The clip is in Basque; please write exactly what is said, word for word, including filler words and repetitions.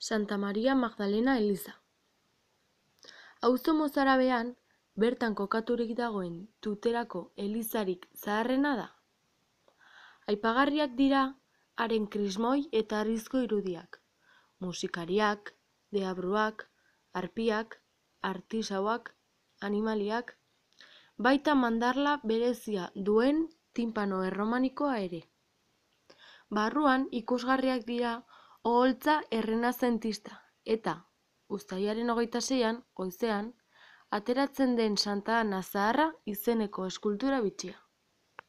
Santa Maria Magdalena eliza. Auzo Mozarabean, bertan kokaturik dagoen Tuterako elizarik zaharrena da. Aipagarriak dira haren krismoi eta harrizko irudiak, musikariak, deabruak, arpiak, artisauak, animaliak, baita mandarla berezia duen tinpano erromanikoa ere. Barruan ikusgarriak dira oholtza errenazentista eta, uztailaren hogeita seian, goizean, ateratzen den Santa Ana Zaharra izeneko eskultura bitxia.